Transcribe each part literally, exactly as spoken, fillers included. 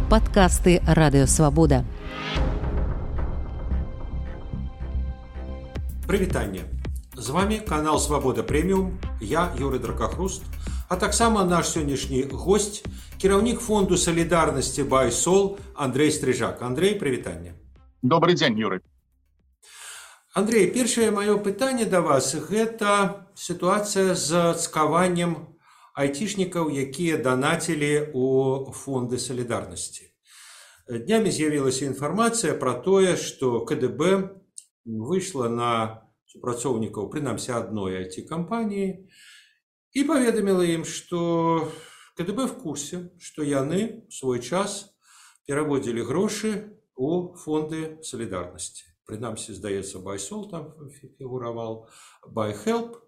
Падкасты Радыёвабода. Прывітанне. З вами канал Свабода Прэміум, я Юрый Дракахруст, а таксама наш сённяшні госць, кіраўнік фонду салідарнасці Байсол Андрей Стрыжак. Андрей, прывітанне. Добрый дзень, Юрый. Андрей, першае маё пытанне да вас – гэта сітуацыя з цкаваннем айцішнікаў, якія данацілі ў фонды салідарнасці. Днямі з'явілася інфармацыя пра тое, што ка дэ бэ выйшла на супрацоўнікаў, прынамсі адной ай ти-кампаніі, і паведаміла ім, што ка дэ бэ в курсе, што яны ў свой час пераводзілі грошы ў фонды салідарнасці. Прынамсі, здаецца, Байсол там фігураваў, Байхелп.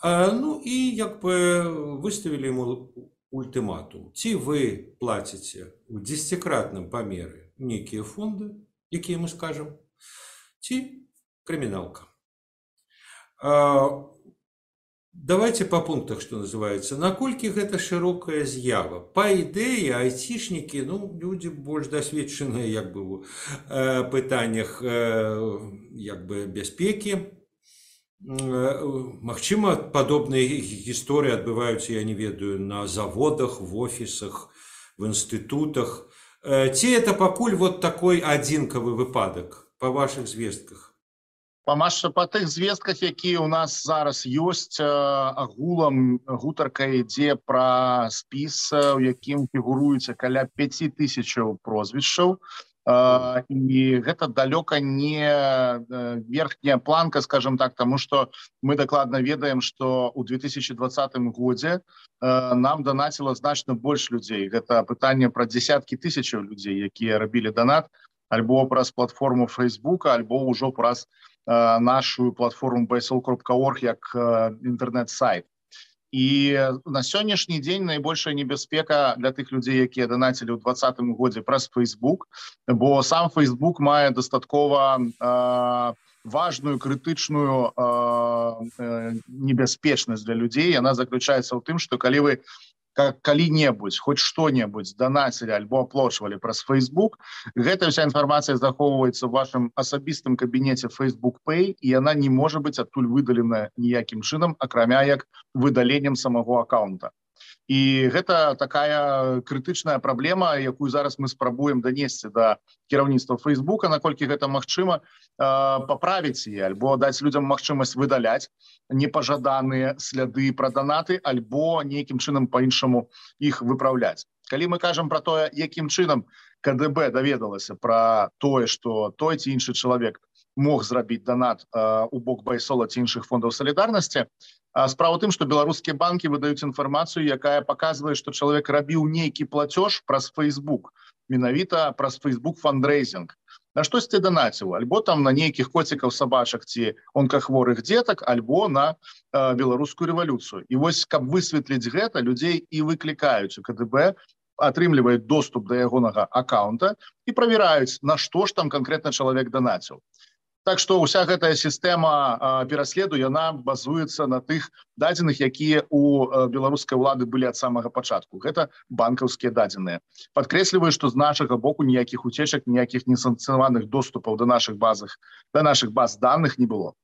Ну і як бы выставілі ему ультыматум. Ці вы плаціце ў дзесяцікратным памеры нейкія фонды, якія мы скажам, ці крыміналка. Давайте по пунктах, что называется. Наколькі гэта шырокая з'ява? Па ідэі, айцішнікі, ну, люди больш дасведчаныя як бы у э, пытаннях э, як бы бяспекі. Э, магчыма, падобныя гісторыі адбываюцца, я не ведаю, на заводах, в офісах, в інстытутах. Э, ці это пакуль вот такой адзінкавы выпадак па вашых звестках? Па па тых звестках, якія ў нас зараз ёсць, агулам гутарка ідзе пра спіс, у якім фігуруецца каля пяці тысячаў прозвішчаў. І гэта далёка не верхняя планка, скажем так, таму што мы дакладна ведаем, што ў две тысячи двадцатым годзе нам данаціла значна больш людзей. Гэта пытанне пра дзесяткі тысячаў людзей, якія рабілі данат альбо праз платформу Фейсбука, альбо ўжо праз нашу платформу байсол кропка орг як інтэрнэт-сайт. І на сённяшні дзень найбольшая небяспека для тых людзей, якія данацілі ў двадцатым годзе праз Фейсбук, бо сам Фейсбук мае дастаткова э, важную крытычную э, небяспечнасць для людзей. Яна заключаецца ў тым, што калі вы калі-небудзь, хоць што-небудзь данацілі альбо аплочвалі праз Фейсбук, гэта ўся інфармацыя захоўваецца ў вашым асабістым кабінеце Facebook Pay, і яна не можа быць адтуль выдалена ніякім чынам, акрамя як выдаленнем самого аккаунта. І гэта такая крытычная праблема, якую зараз мы спрабуем данесці да кіраўніцтва Фейсбука, наколькі гэта магчыма, паправіць яе, альбо даць людзям магчымасць выдаляць непажаданыя сляды пра данаты, альбо нейкім чынам па-іншаму іх выпраўляць. Калі мы кажам пра тое, якім чынам ка дэ бэ даведалася пра тое, што той ці іншы чалавек мог зрабіць данат у бок Байсола ці іншых фондаў салідарнасці, справа ў тым, што беларускія банкі выдаюць інфармацыю, якая паказвае, што чалавек рабіў нейкі плацёж праз Фейсбук, менавіта праз Фейсбук фандрейзінг. На штосьці данаціў, альбо там на нейкіх коцікаў, сабачак ці онкахворых дзетак, альбо на э, беларускую рэвалюцыю. І вось, каб высветліць гэта, людзей і выклікаюць у ка дэ бэ, атрымліваюць доступ да ягонага аккаунта і правяраюць, на што ж там канкрэтна чалавек данаціў. Так што ўся гэтая сістэма пераследу, яна базуецца на тых дадзеных, якія у беларускай улады былі ад самага пачатку. Гэта банкаўскія дадзеныя. Падкрэсліваю, што з нашага боку ніякіх уцечак, ніякіх несанкцыянаваных доступаў да нашых базах, да нашых баз даных не было.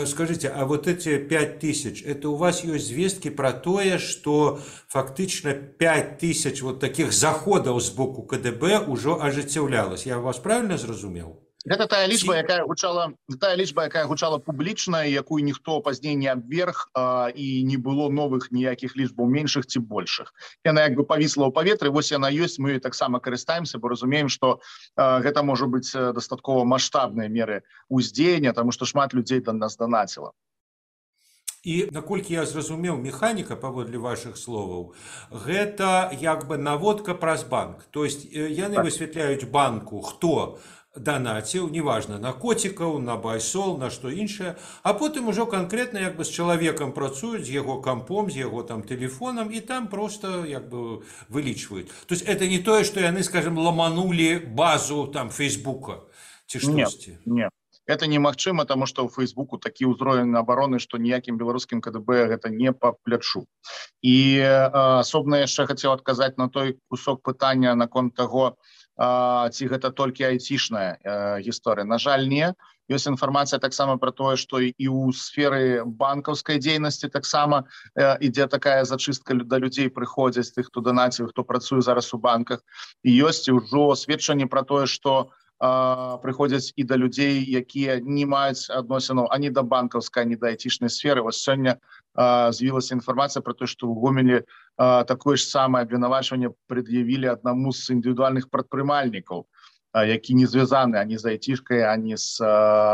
Скажите, а вот эти пять тысяч, это у вас есть звестки про тое, что фактично пять тысяч вот таких заходов с боку ка дэ бэ уже ажыццяўлялось? Я вас правильно зразумеў? Гэта тая лічба, якая гучала, тая лічба, якая гучала публічна, якую ніхто пазней не абверг, а, і не было новых ніякіх лічбаў меншых ці большых. Яна як бы павісла ў паветры, вось яна ёсць, мы таксама карыстаемся, бо разумеем, што а, гэта можа быць дастаткова маштабныя меры ўздзеяння, таму што шмат людзей да нас данаціла. І, наколькі я зразумеў, механіка, паводле вашых словаў, гэта як бы наводка праз банк. То есть яны высвятляюць банку, хто данаціў, неважна, на коцікаў, на Байсол, на што іншае, а потым ужо канкрэтна як бы з чалавекам працуюць, з яго кампом, з яго там тэлефонам, і там просто як бы вылічваюць. То есть это не тое, што яны, скажем, ламанулі базу там Фейсбука ці штосьці. Не, не. это немагчыма, тому што ў Фейсбуку такі ўзровень абароны, што ніякім беларускім КДБ гэта не па плячу. І асобна яшчэ хацеў адказаць на той кусок пытання наконт таго, ці гэта толькі айцішная гісторыя. На жаль, не. Ёсць інфармацыя таксама пра тое, што і ў сферы банкаўскай дзейнасці таксама ідзе такая зачыстка, да людзей прыходзяць, тых, хто данаціў, хто працуе зараз у банках. І ёсць ўжо сведчанне пра тое, што прыходзяць і да людзей, якія не маюць адносінаў ані да банкаўскай, ані да айцішнай сферы. Вось сёння з'явілася інфармацыя пра тое, што ў Гомелі такое ж самае абвінавачванне прад'явілі аднаму з індывідуальных прадпрымальнікаў, які не звязаны ані з айцішкай, ані з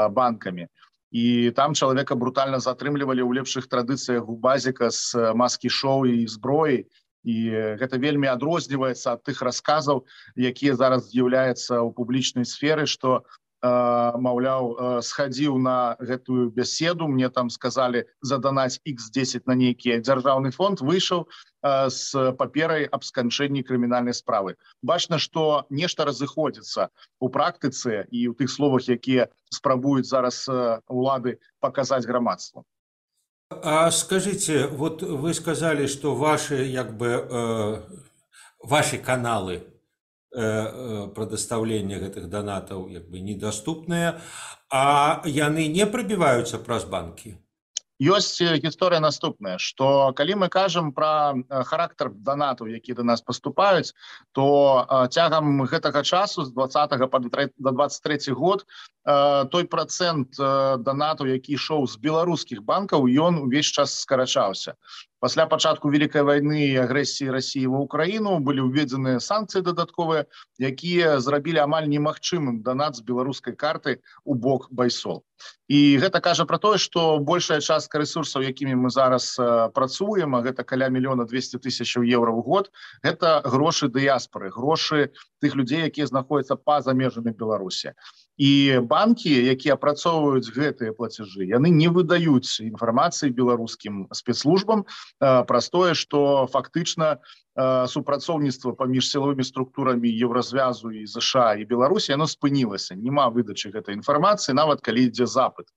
банкамі. І там чалавека брутальна затрымлівалі ў лепшых традыцыях губазіка з маскі-шоу і зброі. І гэта вельмі адрозніваецца ад тых расказаў, якія зараз з'яўляюцца ў публічнай сферы, што, маўляў, схадзіў на гэтую бяседу, мне там сказалі заданаць ікс дзесяць на нейкі дзяржаўны фонд, выйшаў з паперай аб сканчэнні крымінальнай справы. Бачна, што нешта разыходзіцца ў практыцы і ў тых словах, якія спрабуюць зараз улады паказаць грамадству. А скажите, вот вы сказали, что ваши, как бы, э, ваши каналы э, предоставления этих донатов, как бы, недоступные, а яны не пробиваются праз банки? Ёсць гісторыя наступная, што калі мы кажам пра характар донатаў, якія да нас паступаюць, то цягам гэтага часу з двадцатага па дваццаць трэці год той працэнт донатаў, які ішоў з беларускіх банкаў, ён увесь час скарачаўся. Пасля пачатку Вялікай вайны і агрэсіі Расіі ва Ўкраіну былі ўведзеныя санкцыі дадатковыя, якія зрабілі амаль немагчымым донат з беларускай карты ў бок байсол. І гэта кажа пра тое, што большая частка рэсурсаў, якімі мы зараз працуем, а гэта каля мільёна дзвесце тысячаў еўра ў год, гэта грошы дыяспары, грошы тых людзей, якія знаходзяцца па-за межамі Беларусі. І банкі, якія апрацоўваюць гэтыя плацяжы, яны не выдаюць інфармацыі беларускім спецслужбам праз тое, што фактычна супрацоўніцтва паміж сілавымі структурамі Еўразвязу і ЗША і Беларусі, яно спынілася. Няма выдачы гэтай інфармацыі, нават калі ідзе запыт.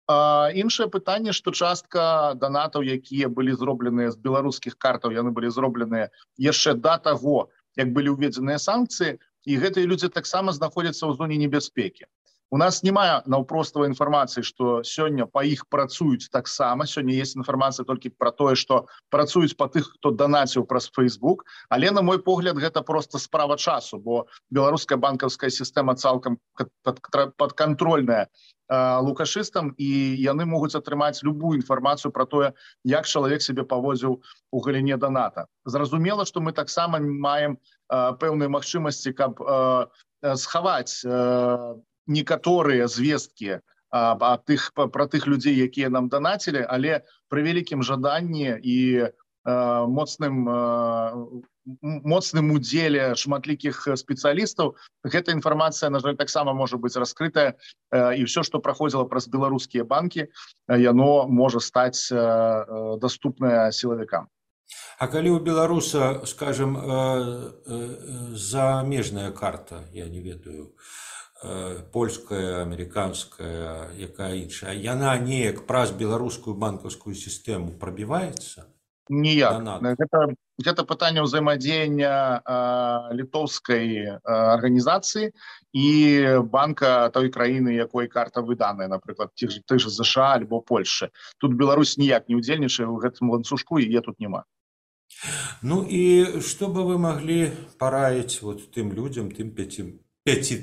Іншае пытанне, што частка донатаў, якія былі зробленыя з беларускіх картаў, яны былі зробленыя яшчэ да таго, як былі ўведзеныя санкцыі, і гэтыя людзі таксама знаходзяцца ў зоне небяспекі. У нас няма наўпроставай інфармацыі, што сёння па іх працуюць таксама. Сёння ёсць інфармацыя толькі пра тое, што працуюць па тых, хто данаціў праз Фейсбук, але, на мой погляд, гэта проста справа часу, бо беларуская банкаўская сістэма цалкам падкантрольная лукашыстам, і яны могуць атрымаць любую інфармацыю пра тое, як чалавек сябе паводзіў у галіне доната. Зразумела, што мы таксама маем пэўныя магчымасці, каб схаваць некаторыя звесткі пра тых людзей, якія нам данацілі, але пры вялікім жаданні і моцным моцным удзеле шматлікіх спецыялістаў гэта інфармацыя, на жаль, таксама можа быць раскрытая, і ўсё, што праходзіла праз беларускія банкі, яно можа стаць даступнае сілавікам. А калі у беларуса, скажем, замежная карта, я не ведаю, польская, амерыканская, якая іншая, яна неяк праз беларускую банкаўскую сістэму прабіваецца? Ніяк. Гэта, гэта пытанне ўзаемадзеяння літоўскай арганізацыі і банка той краіны, якой карта выданая, напрыклад, тых же ЗША альбо Польшчы. Тут Беларусь ніяк не ўдзельнічае ў гэтым ланцужку, і яе тут няма. Ну і што бы вы маглі параіць вот тым людзям, тым пяці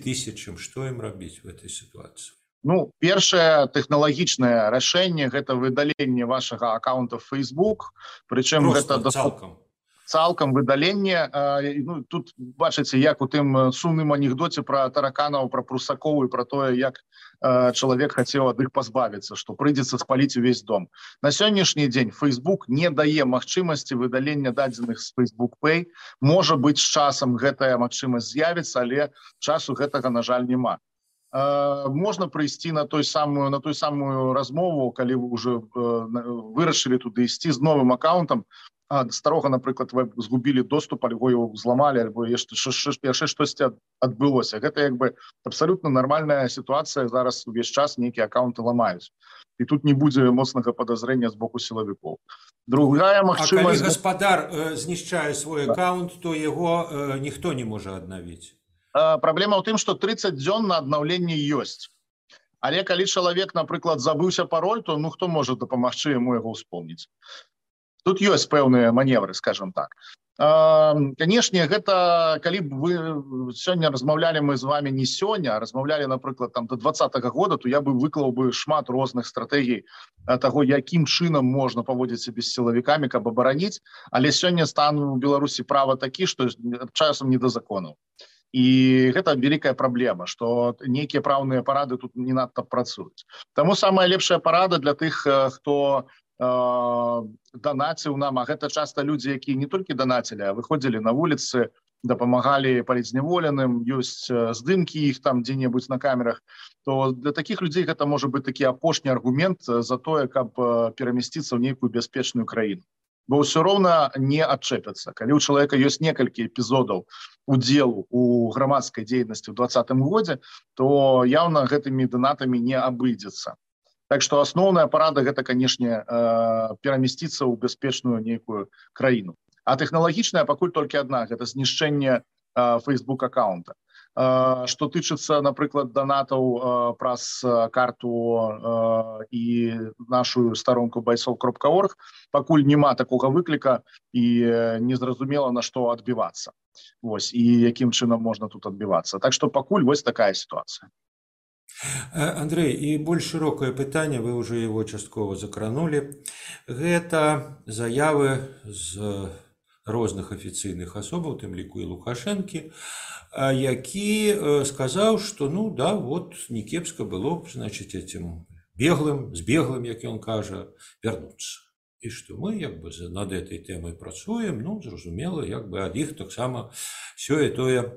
тысячам, што ім рабіць в этой сітуацыі? Ну, першае тэхналагічнае рашэнне гэта выдаленне вашага аккаунта в Facebook, прычым гэта цалкам. Цалкам выдаленне. Ну, тут бачыце, як у тым сумным анекдоце пра тараканаў, пра прусакоў і пра тое, як чалавек хацеў ад іх пазбавіцца, што прыйдзецца спаліць увесь дом. На сённяшні дзень Facebook не дае магчымасці выдалення дадзеных з Facebook Pay. Можа быць, з часам гэтая магчымасць з'явіцца, але часу гэтага, на жаль, няма. Можна прыйсці на той самую на той самую размову, калі вы уже вырашылі туды ісці з новым аккаунтам. старога, напрыклад, вы згубілі доступ, альбо его зламалі, альбо яшчэ штосьці адбылося. Гэта як бы абсалютна нармальная сітуацыя, зараз увесь час нейкія аккаунты ламаюць. І тут не будзе моцнага падазрення з боку сілавікоў. Другая магчымасць... А калі гаспадар э, знішчае свой да. аккаунт, то яго э, ніхто не можа аднавіць. Э, праблема ў тым, што трыццаць дзён на аднаўленне ёсць. Але калі чалавек, напрыклад, забыўся пароль, то ну хто можа дапамагчы яму яго ўспомніць? Тут ёсць пэўныя маневры, скажем так. Канешне, гэта калі б вы сёння размаўлялі мы з вами не сёння, а размаўлялі, напрыклад, там до двадцатага года, то я бы выклаў бы шмат розных стратэгій таго, якім чынам можна паводзіць сябе з сілавікамі, каб абараніць, але сёння стан у Беларусі права такі, што часам не да законаў. І гэта вялікая праблема, што нейкія праўныя парады тут не надта працуюць. Таму самая лепшая парада для тых, хто данаціў нам, а гэта часта людзі, якія не толькі данацілі, а выходзілі на вуліцы, дапамагалі палітзняволеным, ёсць здымкі іх там дзе-небудзь на камерах, то для такіх людзей гэта можа быць такі апошні аргумент за тое, каб перамясціцца ў нейкую бяспечную краіну. Бо ўсё роўна не адчэпяцца. Калі ў чалавека ёсць некалькі эпізодаў удзелу у грамадскай дзейнасці ў двадцатым годзе, то яўна гэтымі донатамі не абыдзецца. Так што асноўная парада гэта, канешне, перамясціцца ў бяспечную нейкую краіну. А тэхналагічная пакуль толькі адна, гэта знішчэнне Facebook аккаунта. Што тычыцца, напрыклад, донатаў праз карту і нашу старонку байсол кропка орг, пакуль няма такога выкліка і незразумела, на што адбівацца. Вось, і якім чынам можна тут адбівацца. Так што пакуль вось такая сітуацыя. Андрей, і больш шырокае пытанне, вы ўжо яго часткова закранулі. Гэта заявы з розных афіцыйных асобаў, тым ліку і Лукашэнкі, які сказаў, што ну да, вот не кепска было б, значыць, этим беглым, збеглым, як ён кажа, вярнуцца. І што мы як бы над этой тэмай працуем, ну, зразумела, як бы ад іх таксама сёе-тое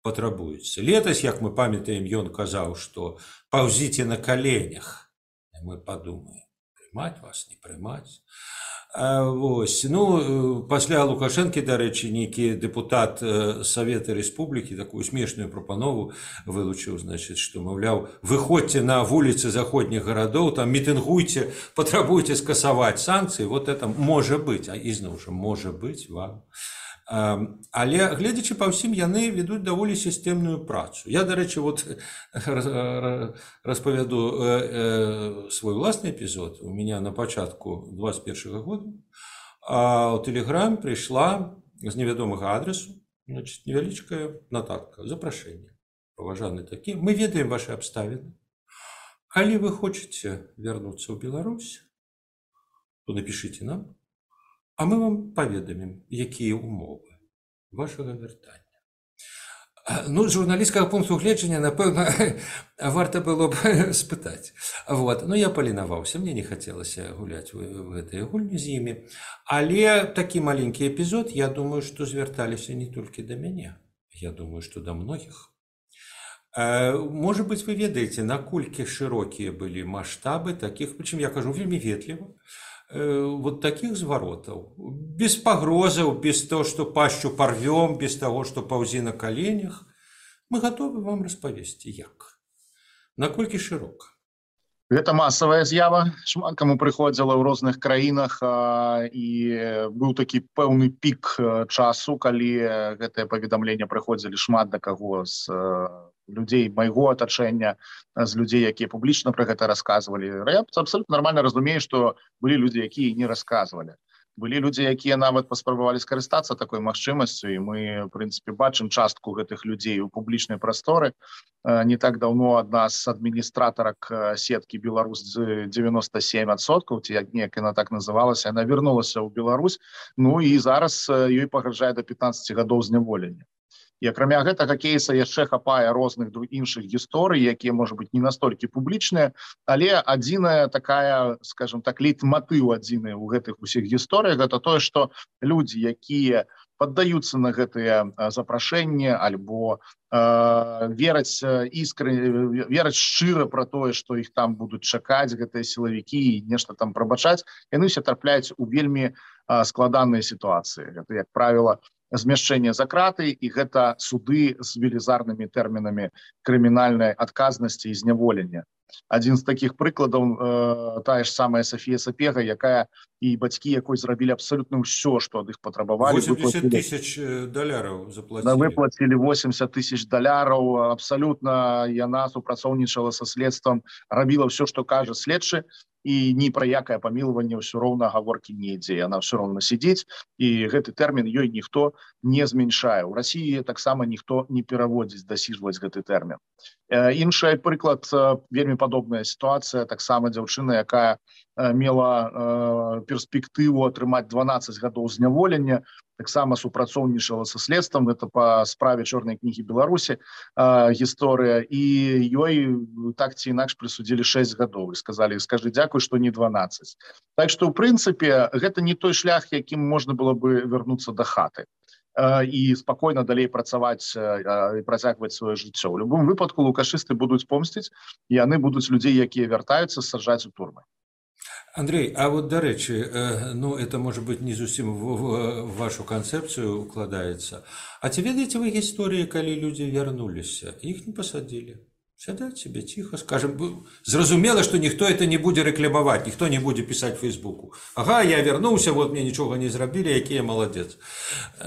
патрабуецца. Летась, як мы памятаем, ён казаў, што паўзіце на каленях. Мы падумаем, прымаць вас, не прымаць. Вось. Ну, пасля Лукашэнкі, дарэчы, нейкі дэпутат Савета Рэспублікі такую смешную прапанову вылучыў, значыць, што, маўляў, выходзьце на вуліцы заходніх гарадоў, там мітынгуйце, патрабуйце скасаваць санкцыі, вот это можа быць, а ізноў жа можа быць вам. Але, гледзячы па ўсім, яны ведуць даволі сістэмную працу. Я, дарэчы, вот распавяду свой уласны эпізод. У меня на пачатку двадцать першага года у Телеграм прыйшла з невядомага адресу, значит, невялічкая нататка, запрашэнне. Паважаны такі. Мы ведаем ваши абставіны. Калі вы хочаце вярнуцца ў Беларусь, то напишите нам, а мы вам паведамім, якія ўмовы вашага вяртання. Ну, з журналісцкага пункту гледжання, напэўна, варта было б спытаць. Вот. Ну, я паленаваўся, мне не хацелася гуляць в гэтай гульні з імі. Але такі маленькі эпізод, я думаю, што звярталіся не толькі да мяне. Я думаю, што да многіх. Можа быць, вы ведаеце, наколькі шырокія былі маштабы такіх, прычым я кажу вельмі ветліва, вот таких зваротаў, без пагрозаў, без того, што пашчу парвём, без того, што паўзі на каленях, мы гатовы вам распавесці, як. Наколькі шырока. Гэта масавая з'ява, шмат каму прыходзіла ў розных краінах, і быў такі пэўны пік часу, калі гэтае паведамленне прыходзілі шмат да каго з людзей майго атачэння, з людзей, якія публічна пра гэта расказвалі. Я абсалютна нармальна разумею, што былі людзі, якія не расказвалі. Былі людзі, якія нават паспрабавалі скарыстацца такой магчымасцю, і мы, в прынцыпе, бачым частку гэтых людзей у публічнай прасторы. Не так даўно адна з адміністратарак сеткі «Беларусь» девяносто семь адсоткаў, ці як неяк яна так называлася, яна вярнулася ў Беларусь, ну і зараз ёй пагражае да пятнадцати гадоў зняволення. І акрамя гэтага кейса яшчэ хапае розных іншых гісторый, якія, можа быць, не настолькі публічныя, але адзіная такая, скажем так, лейтматыў адзіны ў гэтых усіх гісторыях, гэта тое, што людзі, якія паддаюцца на гэтыя запрашэнні альбо э, вераць іскренне, вераць шчыра пра тое, што іх там будуць чакаць гэтыя сілавікі і нешта там прабачаць, яны ўсе трапляюць у вельмі э, складаныя сітуацыі. Гэта, як правіла, змяшчэнне за краты, і гэта суды з велізарнымі тэрмінамі крымінальнай адказнасці і зняволення. Адзін з такіх прыкладаў э, тая ж самая Сафія Сапега, якая і бацькі якой зрабілі абсалютна ўсё, што ад іх патрабавалі. восемьдесят тысяч даляраў заплацілі. Выплацілі восемьдесят тысяч даляраў, абсалютна яна супрацоўнічала са следствам, рабіла ўсё, што кажа следчы, і ні пра якае памілаванне ўсё роўна гаворкі не ідзе. Яна ўсё роўна сидзіць, і гэты тэрмін ёй ніхто не зменшае. У Расіі таксама ніхто не пераводзіць, дасіжваць гэты тэрмін. Э, іншы прыклад, э, вельмі падобная сітуацыя, таксама дзяўчына, якая э, мела э, перспектыву атрымаць дванаццаць гадоў зняволення, таксама супрацоўнічала са следствам, гэта па справе чорнай кнігі Беларусі э, гісторыя, і ёй так ці інакш прысудзілі шэсць гадоў і сказалі: скажы дзякуй, што не дванаццаць. Так што, ў прынцыпе, гэта не той шлях, якім можна было бы вярнуцца да хаты і спакойна далей працаваць і працягваць сваё жыццё. У любым выпадку лукашысты будуць помсціць, і яны будуць людзей, якія вяртаюцца, саджаць у турмы. Андрей, а вот, до речі, ну, это, может быть, не зусім в, в, в вашу концепцию укладаецца. А ці ведаеце вы гісторыі, калі людзі вярнуліся, іх не пасадзілі? Сядаць себе тихо, скажем, зразумела, что никто это не будет рекламовать, никто не будет писать в Фейсбуку. Ага, я вернулся, вот мне ничего не зрабілі, які я молодец.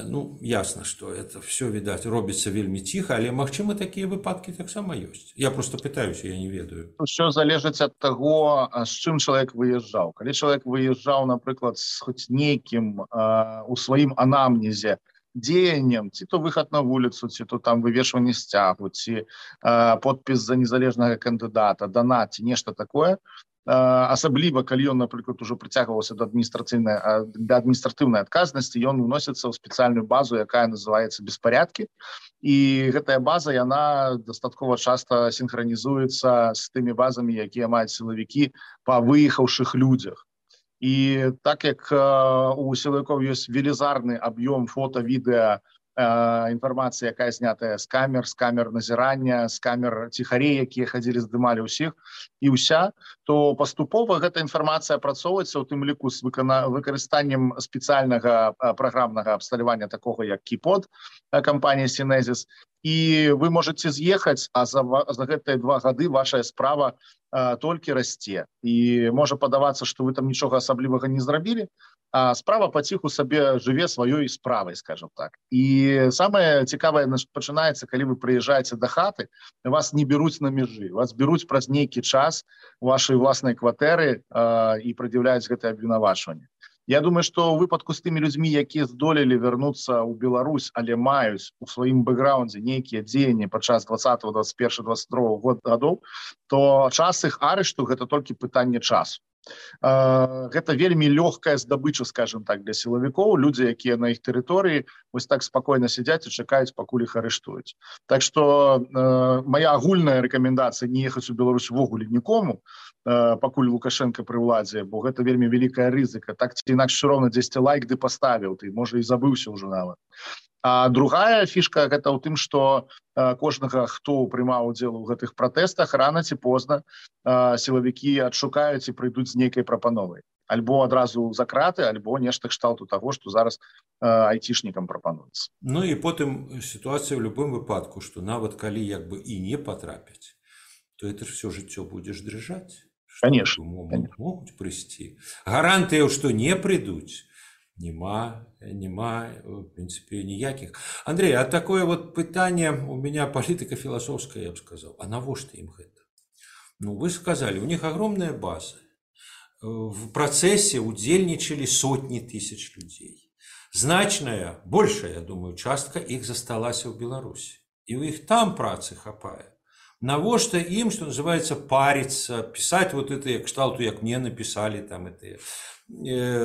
Ну, ясно, что это все, видать, робіцца вельмі тихо, але, магчыма, такія выпадкі таксама ёсць. Я просто пытаюсь, я не ведаю. Все залежыць ад таго, з чым чалавек выязджаў. Калі чалавек выязджаў, напрыклад, з хоць нейкім э, у сваім анамнезе дзеяннем, ці то выхад на вуліцу, ці то там вывешванне сцягу, ці э, подпіс за незалежнага кандыдата, донат, ці нешта такое. Э, асабліва, калі ён, напрыклад, ужо прыцягваўся да адміністрацыйнай, да адміністратыўнай адказнасці, ён уносіцца ў спецыяльную базу, якая называецца беспарядкі. І гэтая база, яна дастаткова часта сінхранізуецца з тымі базамі, якія маюць сілавікі па выехаўшых людзях. І так як э, у сілавікоў ёсць велізарны аб'ём фота, відэа, э, інфармацыі, якая знятая з камер, з камер назірання, з камер ціхарей, якія хадзілі, здымалі ўсіх, і ўся, то паступова гэта інфармацыя апрацоўваецца, у тым ліку з выкана... выкарыстаннем спецыяльнага э, праграмнага абсталявання, такога як Кіпод, э, кампанія Сінезіс. І вы можете з'ехаць, а за, за гэтыя два гады ваша справа а, толькі расце. І можа падавацца, што вы там нічога асаблівага не зрабілі, а справа паціху сабе жыве сваёй справай, скажем так. І самае цікавае пачынаецца, калі вы прыязджаеце да хаты, вас не беруць на межы, вас беруць праз нейкі час у вашай уласнай кватэры а, і прад'яўляюць гэтае абвінавачванне. Я думаю, што ў выпадку з тымі людзьмі, якія здолелі вярнуцца ў Беларусь, але маюць у сваім бэкграўндзе нейкія дзеянні падчас двадцатого, двадцать первого, двадцать другого гадоў, то час іх арышту гэта толькі пытанне часу. Гэта вельмі лёгкая здабыча, скажем так, для сілавікоў, людзі, якія на іх тэрыторыі вось так спакойна сядзяць і чакаюць, пакуль іх арыштуюць. Так што э, моя агульная рэкамендацыя не ехаць у Беларусь увогуле нікому, э, пакуль Лукашенко пры ўладзе, бо гэта вельмі вялікая рызыка. Так ці інакш усё роўна дзесьці лайк ды паставіў, ты, можа, і забыўся ўжо нават. А другая фішка гэта ў тым, што э, кожнага, хто прымаў удзел у гэтых пратэстах, рана ці позна э, сілавікі адшукаюць і прыйдуць з нейкай прапановай. Альбо адразу за краты, альбо нешта кшталту таго, што зараз э, айцішнікам прапануецца. Ну і потым сітуацыя ў любым выпадку, што нават калі як бы і не патрапяць, то это ж всё жыццё будзеш дрыжаць. Конечно. Могуць, могуць прыйсці. Гарантыяў, што не прыйдуць, Нема, нема, в принципе, ніякіх. Андрей, а такое вот пытанне у меня политико-философское, я бы сказал. А навошта им гэта? Ну, вы сказали, у них огромная база. В процессе удзельнічалі сотни тысяч людей. Значная, большая, я думаю, частка их засталася в Беларуси. И у их там працы хапае. Навошта им, что называется, париться, писать вот это кшталту, как мне написали там это э,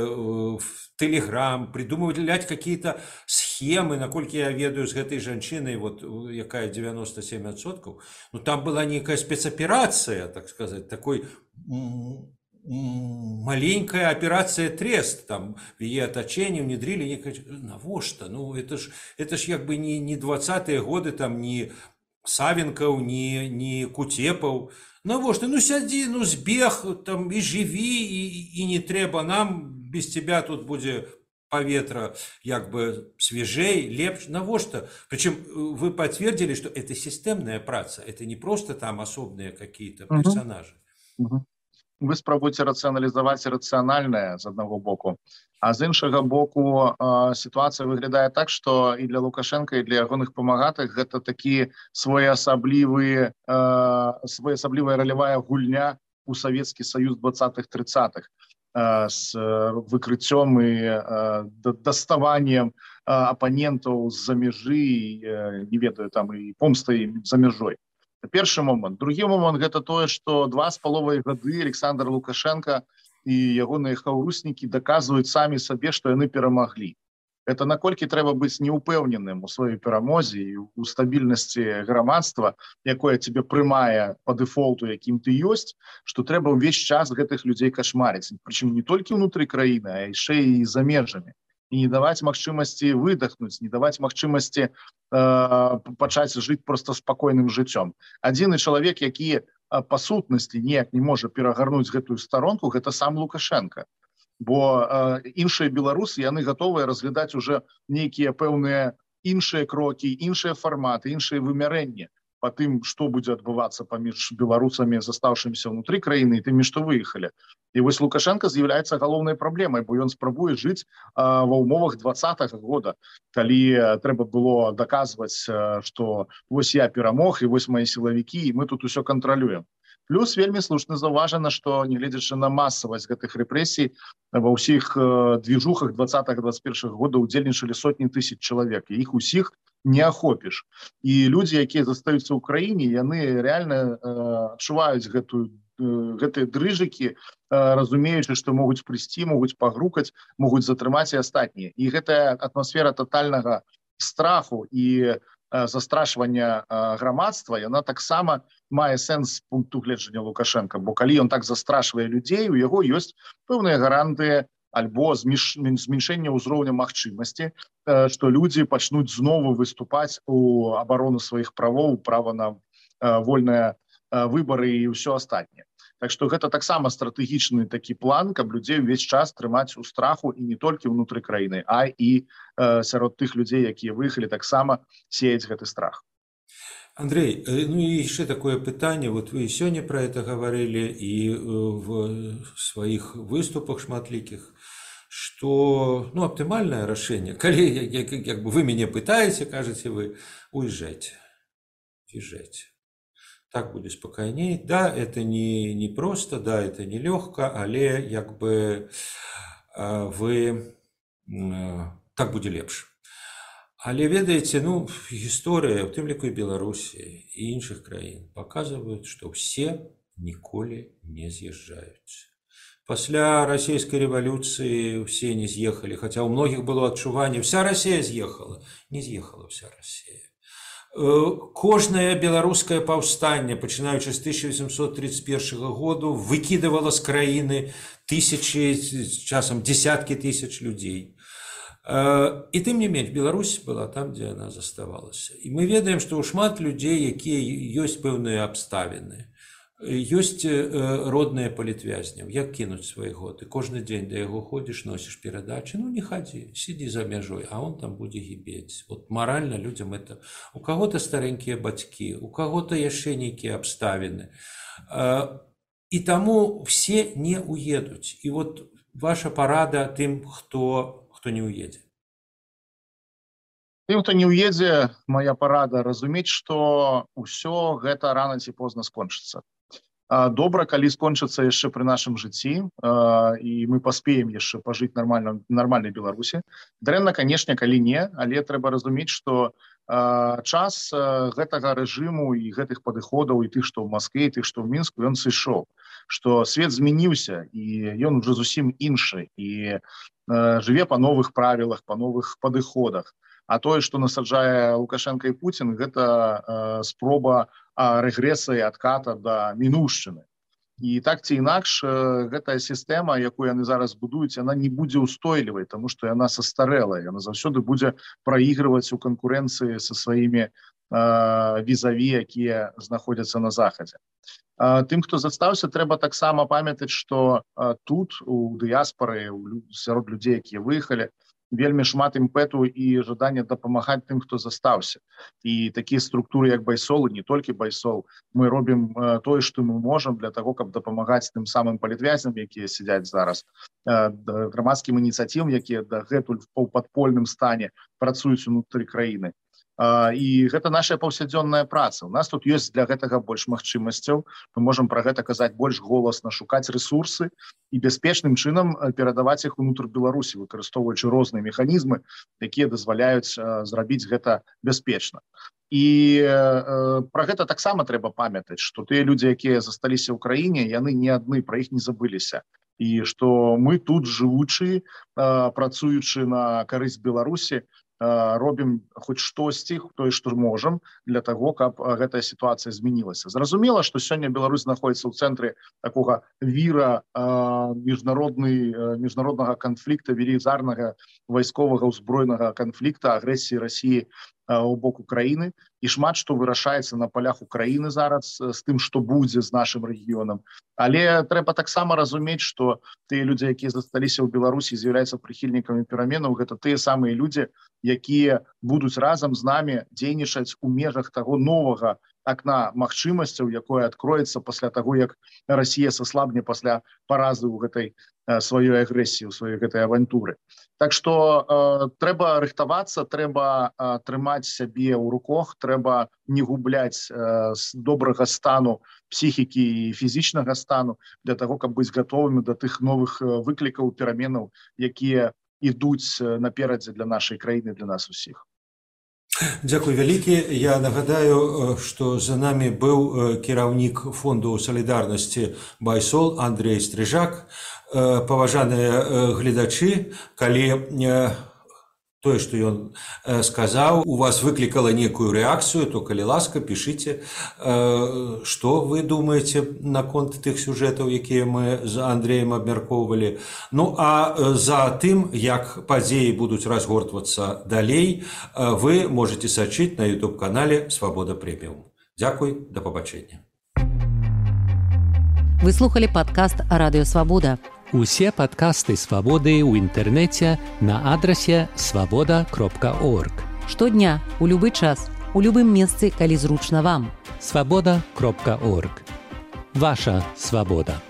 в Телеграм, придумывать какие-то схемы, наколькі я ведаю з гэтай жанчынай, вот якая девяносто семь процентов, ну там была некая спецоперация, так сказать, такой маленькая операция Трест, там в ее оточении внедрили некое... Навошта? Ну это ж, это ж как бы не, не двадцатые годы, там не Савенков, не, не Кутепов. Навошта? Ну сяди, ну збег, там и живи, и, и не треба нам, без тебя тут будет поветра как бы свежей, лепш. Навошта? Причем вы подтвердили, что это системная праца, это не просто там особные какие-то персонажи. Uh-huh. Uh-huh. Вы спробуйте рацыяналізаваць рацыянальнае з аднаго боку, а з іншага боку э, сітуацыя выглядае так, што і для Лукашенка, і для ягоных памагатых гэта такі своеасаблівы э, своеасаблівая ролевая гульня у Савецкі Саюз двадцатых-тридцатых э, з выкрыццём і э, даставаннем э, апанентаў з-за мяжы, э, не ведаю, там і помстай за мяжой. Першы момант. Другі момант гэта тое, што два з паловай гады Александр Лукашенко і ягоныя хаўруснікі даказваюць самі сабе, што яны перамаглі. Гэта наколькі трэба быць неупэўненым у сваёй перамозе і у стабільнасці грамадства, якое цябе прымае па дэфолту, якім ты ёсць, што трэба ўвесь час гэтых людзей кашмарыць. Прычым не толькі ўнутры краіны, а яшчэ і за межамі. І не даваць магчымасці выдохнуць, не даваць магчымасці э, пачаць жыць проста спакойным жыццём. Адзіны чалавек, які э, па сутнасці ніяк не можа перагарнуць гэтую старонку, гэта сам Лукашенко. Бо э, іншыя беларусы, яны гатовыя разглядаць уже нейкія пэўныя іншыя крокі, іншыя фарматы, іншыя вымярэнні па тым, што будзе адбывацца паміж беларусамі, застаўшымися ўнутры краіны, і тымі, што выехалі. І вось Лукашенко з'яўляецца галоўнай праблемай, бо ён спрабуе жыць а, ва ўмовах двадцатага года, калі трэба было даказваць, што вось я перамог, і вось мае сілавікі, і мы тут усё кантралюем. Плюс вельмі слушна заўважана, што, нягледзячы на масавасць гэтых рэпрэсій, ва ўсіх э, движухах двадцатага-двадцать первого года удзельнічалі сотні тысяч чалавек, і іх усіх не ахопіш. І людзі, якія застаюцца ў краіне, яны рэальна э, адчуваюць гэтую, э, гэтыя дрыжыкі, э, разумеючы, што могуць прыйсці, могуць пагрукаць, могуць затрымаць і астатнія. І гэтая атмасфера татальнага страху і застрашвання грамадства, яна таксама мае сэнс з пункту гледжання Лукашенка, бо калі ён так застрашвае людзей, у яго ёсць пэўныя гарантыі альбо зменшэння ўзроўня магчымасці, што людзі пачнуць знову выступаць у абарону сваіх правоў, права на вольныя выбары і ўсё астатняе. Так што гэта таксама стратэгічны такі план, каб людзей увесь час трымаць у страху і не толькі ўнутры краіны, а і э, сярод тых людзей, якія выехалі, таксама сеяць гэты страх. Андрей, ну и еще такое пытание, вот вы сегодня про это говорили и в своих выступах шматликих, что, ну, оптимальное решение, коли, как бы вы меня пытаете, кажете вы, уезжайте, уезжайте. Так будет спокойнее. Да, это не, не просто, да, это не легко, але як бы вы так будет лепше. Але ведаеце, ну, гісторыя, у тым ліку і Беларусі і іншых краін паказваюць, што ўсе ніколі не з'язджаюць. Пасля расійскай рэвалюцыі ўсе не з'ехалі, хаця ў многіх было адчуванне, вся Расія з'ехала. Не з'ехала вся Расія. Кожнае беларускае паўстанне, пачынаючы з тысяча восемьсот тридцать первого году, выкідывала з краіны тысячи, часам десяткі тысяч людзей. І тым не менш, Беларусь была там, дзе яна заставалася. І мы ведаем, што ў шмат людзей, якія ёсць пэўныя абставіны, ёсць родныя палітвязняў, як кінуць свайго? Ты кожны дзень да яго ходзіш, носіш перадачы, ну не хадзі, сидзі за мяжой, а он там будзе гібець. Вот маральна людзям это... У каго-то старэнькія бацькі, у каго-то яшчэ нейкія абставіны. І таму все не уедуць. І вот ваша парада тым, хто, хто не уедзе. Тым, хто не уедзе, моя парада разумець, што ўсё гэта рана ці позна скончыцца. Добра, калі скончыцца яшчэ пры нашым жыцці, і мы паспеем яшчэ пажыць нармальна, нармальнай Беларусі. Дрэнна, канешне, калі не, але трэба разумець, што час гэтага рэжыму і гэтых падыходаў і тых, што ў Маскве, і тых, што ў Мінску, ён сышоў, што свет змяніўся і ён уже зусім іншы і жыве па новых правілах, па новых падыходах. А тое, што насаджае Лукашенко і Путін, гэта спроба рэгрэса і адката да мінуўшчыны. І так ці інакш, гэтая сістэма, якую яны зараз будуюць, яна не будзе устойлівай, таму што яна састарэлая, яна заўсёды будзе праігрываць у канкурэнцыі са сваімі візаві, якія знаходзяцца на захадзе. Тым, хто застаўся, трэба таксама памятаць, што тут, у дыяспары, сярод людзей, якія выехалі, вельмі шмат імпэту і жадання дапамагаць тым, хто застаўся. І такія структуры, як Байсол, і не толькі Байсол, мы робім тое, што мы можам для таго, каб дапамагаць тым самым палітвязням, якія сядзяць зараз, грамадскім ініцыятывам, якія дагэтуль у паўпадпольным стане працуюць унутры краіны. І гэта наша паўсядзённая праца. У нас тут ёсць для гэтага больш магчымасцяў. Мы можам пра гэта казаць больш голасна, шукаць рэсурсы і бяспечным чынам перадаваць іх унутр Беларусі, выкарыстоўваючы розныя механізмы, якія дазваляюць зрабіць гэта бяспечна. І э, пра гэта таксама трэба памятаць, што тыя людзі, якія засталіся ў краіне, яны не адны, пра іх не забыліся. І што мы тут, жывучы, э, працуючы на карысць Беларусі, робім хоць штосьці, тое, што можам, для таго, каб гэтая сітуацыя змянілася. Зразумела, што сёння Беларусь знаходзіцца ў цэнтры такога віра міжнароднага канфлікта, велізарнага вайсковага ўзброенага канфлікта, агрэсіі Расіі у бок Украіны, і шмат што вырашаецца на палях Украіны зараз з тым, што будзе з нашым рэгіёнам. Але трэба таксама разумець, што тыя людзі, якія засталіся ў Беларусі, з'яўляюцца прыхільнікамі пераменаў, гэта тыя самыя людзі, якія будуць разам з намі дзейнічаць у межах таго новага акна магчымасцяў, якое адкроецца пасля таго, як Расія саслабне пасля паразы ў гэтай сваёй агрэсіі, у сваёй гэтай авантуры. Так што э, трэба рыхтавацца, трэба э, трымаць сябе ў руках, трэба не губляць э, добрага стану псіхікі і фізічнага стану для таго, каб быць гатовымі да тых новых выклікаў, пераменаў, якія ідуць наперадзе для нашай краіны, для нас усіх. Дзякуй вялікі. Я нагадаю, што за намі быў кіраўнік фонду салідарнасці Байсол Андрей Стрыжак. Паважаныя гледачы, калі тое, што ён сказаў, у вас выклікала некую рэакцыю, то, калі ласка, пішыце, што вы думаеце наконт тых сюжэтаў, якія мы з Андреем абмяркоўвалі. Ну, а за тым, як падзеі будуць разгортвацца далей, вы можете сачыць на ютуб-канале «Свабода Прэміум». Дзякуй, да пабачэння. Вы слухали падкаст «Радыё Свабода». Усе падкасты «Свабоды» ў інтэрнэце на адрасе свабода кропка орг. Штодня, у любы час, у любым месцы, калі зручна вам. свабода кропка орг. Ваша свабода.